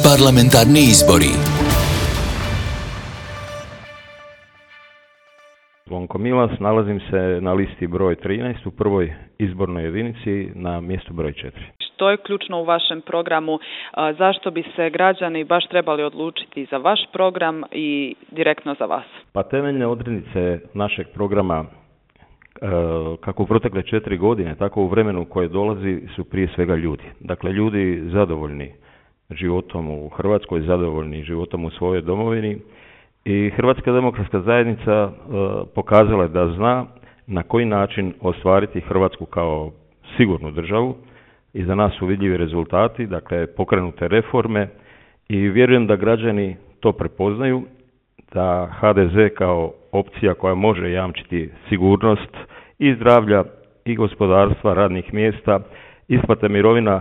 Parlamentarni izbori. Zvonko Milas, nalazim se na listi broj 13 u prvoj izbornoj jedinici na mjestu broj 4. Što je ključno u vašem programu? Zašto bi se građani baš trebali odlučiti za vaš program i direktno za vas? Pa temeljne odrednice našeg programa kako u protekle 4 godine, tako u vremenu koje dolazi su prije svega ljudi. Dakle, ljudi zadovoljni životom u Hrvatskoj, zadovoljni životom u svojoj domovini i Hrvatska demokratska zajednica pokazala je da zna na koji način ostvariti Hrvatsku kao sigurnu državu i za nas su vidljivi rezultati, dakle pokrenute reforme i vjerujem da građani to prepoznaju, da HDZ kao opcija koja može jamčiti sigurnost i zdravlja i gospodarstva, radnih mjesta, isplate mirovina,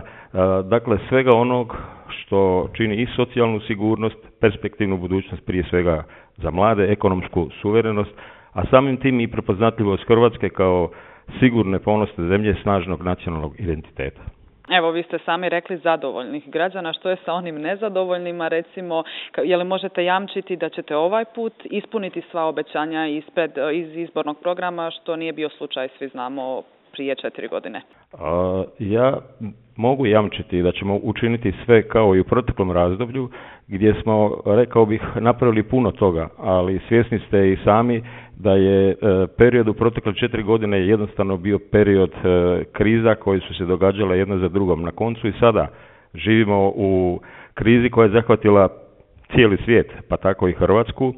dakle svega onog što čini i socijalnu sigurnost, perspektivnu budućnost prije svega za mlade, ekonomsku suverenost, a samim tim i prepoznatljivost Hrvatske kao sigurne, ponosne zemlje snažnog nacionalnog identiteta. Evo, vi ste sami rekli zadovoljnih građana. Što je sa onim nezadovoljnima, recimo, je li možete jamčiti da ćete ovaj put ispuniti sva obećanja iz izbornog programa, što nije bio slučaj, svi znamo, prije 4 godine? Ja mogu jamčiti da ćemo učiniti sve kao i u proteklom razdoblju, gdje smo, rekao bih, napravili puno toga, ali svjesni ste i sami da je period u protekle 4 godine jednostavno bio period kriza koje su se događale jedna za drugom. Na koncu i sada živimo u krizi koja je zahvatila cijeli svijet, pa tako i Hrvatsku,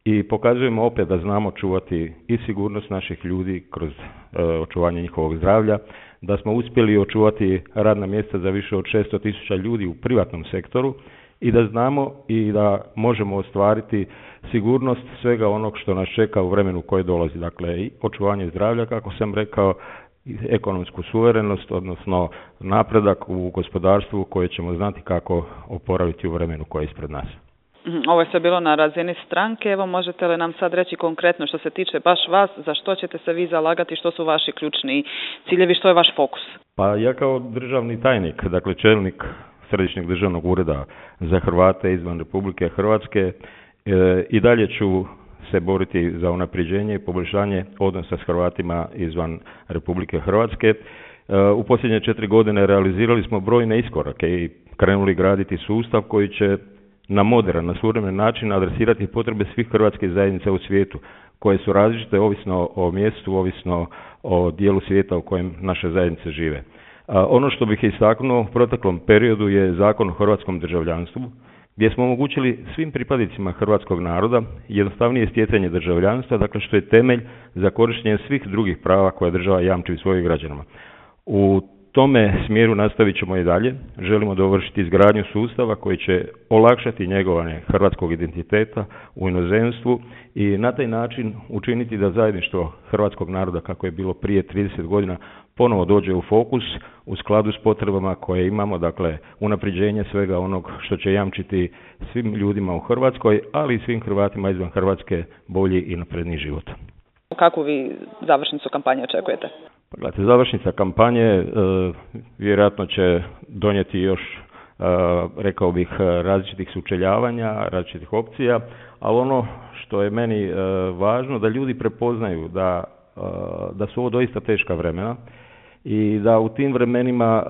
i pokazujemo opet da znamo čuvati i sigurnost naših ljudi kroz očuvanje njihovog zdravlja, da smo uspjeli očuvati radna mjesta za više od 600.000 ljudi u privatnom sektoru i da znamo i da možemo ostvariti sigurnost svega onog što nas čeka u vremenu koje dolazi. Dakle, i očuvanje zdravlja, kako sam rekao, i ekonomsku suverenost, odnosno napredak u gospodarstvu koje ćemo znati kako oporaviti u vremenu koje je ispred nas. Ovo je sve bilo na razini stranke. Evo, možete li nam sad reći konkretno što se tiče baš vas, za što ćete se vi zalagati, što su vaši ključni ciljevi, što je vaš fokus? Pa ja kao državni tajnik, dakle čelnik Središnjeg državnog ureda za Hrvate izvan Republike Hrvatske, i dalje ću se boriti za unapređenje i poboljšanje odnosa s Hrvatima izvan Republike Hrvatske. U posljednje 4 godine realizirali smo brojne iskorake i krenuli graditi sustav koji će na moderan, na suvremen način adresirati potrebe svih hrvatskih zajednica u svijetu, koje su različite ovisno o mjestu, ovisno o dijelu svijeta u kojem naše zajednice žive. Ono što bih istaknuo u proteklom periodu je Zakon o hrvatskom državljanstvu, gdje smo omogućili svim pripadnicima hrvatskog naroda jednostavnije stjecanje državljanstva, dakle što je temelj za korištenje svih drugih prava koje država jamči svojim građanima. U tome smjeru nastavit ćemo i dalje. Želimo dovršiti izgradnju sustava koji će olakšati njegovanje hrvatskog identiteta u inozemstvu i na taj način učiniti da zajedništvo hrvatskog naroda, kako je bilo prije 30 godina, ponovo dođe u fokus u skladu s potrebama koje imamo, dakle unapređenje svega onog što će jamčiti svim ljudima u Hrvatskoj, ali i svim Hrvatima izvan Hrvatske bolji i napredniji život. Kakvu vi završnicu kampanje očekujete? Gledajte, završnica kampanje vjerojatno će donijeti još, rekao bih, različitih sučeljavanja, različitih opcija, ali ono što je meni važno da ljudi prepoznaju da su ovo doista teška vremena i da u tim vremenima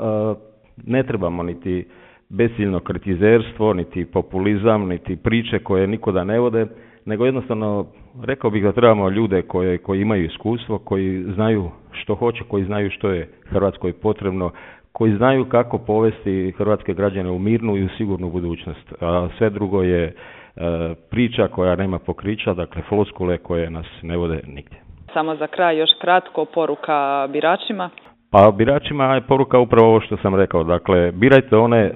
ne trebamo niti besiljno kritizerstvo, niti populizam, niti priče koje nikuda ne vode, nego jednostavno rekao bih da trebamo ljude koji imaju iskustvo, koji znaju što hoće, koji znaju što je Hrvatskoj potrebno, koji znaju kako povesti hrvatske građane u mirnu i u sigurnu budućnost. A sve drugo je priča koja nema pokrića, dakle floskule koje nas ne vode nigdje. Samo za kraj još kratko poruka biračima. Pa biračima je poruka upravo ovo što sam rekao. Dakle, birajte one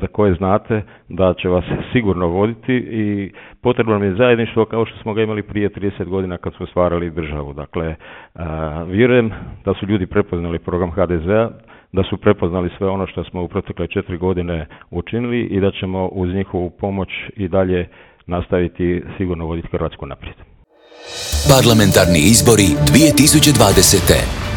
za koje znate da će vas sigurno voditi i potrebno nam je zajedništvo kao što smo ga imali prije 30 godina kad smo stvarali državu. Dakle, vjerujem da su ljudi prepoznali program HDZ-a, da su prepoznali sve ono što smo u protekle 4 godine učinili i da ćemo uz njihovu pomoć i dalje nastaviti sigurno voditi Hrvatsku naprijed. Parlamentarni izbori 2020.